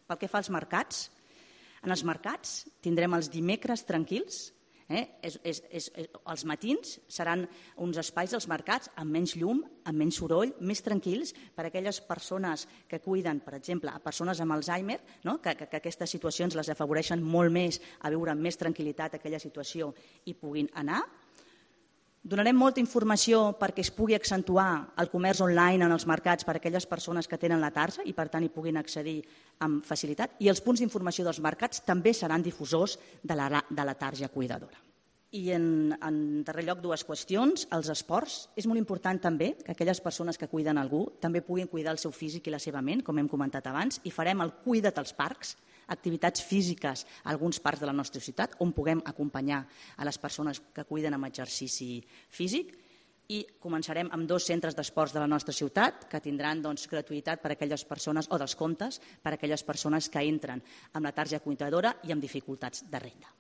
Pel que fa als mercats, en els mercats tindrem els dimecres tranquils. Els matins seran uns espais dels mercats amb menys llum, amb menys soroll, més tranquils per a aquelles persones que cuiden, per exemple, a persones amb Alzheimer, que aquestes situacions les afavoreixen molt més a viure amb més tranquil·litat aquella situació i puguin anar. Donarem molta informació perquè es pugui accentuar el comerç online en els mercats per a aquelles persones que tenen la tarja i per tant hi puguin accedir amb facilitat, i els punts d'informació dels mercats també seran difusors de la tarja cuidadora. I en darrer lloc, dues qüestions. Els esports. És molt important també que aquelles persones que cuiden algú també puguin cuidar el seu físic i la seva ment, com hem comentat abans, i farem el Cuida't als parcs, activitats físiques a alguns parcs de la nostra ciutat on puguem acompanyar a les persones que cuiden amb exercici físic, i començarem amb 2 centres d'esports de la nostra ciutat que tindran gratuïtat per a aquelles persones, o descomptes per a aquelles persones que entren amb la tarja cuidadora i amb dificultats de renda.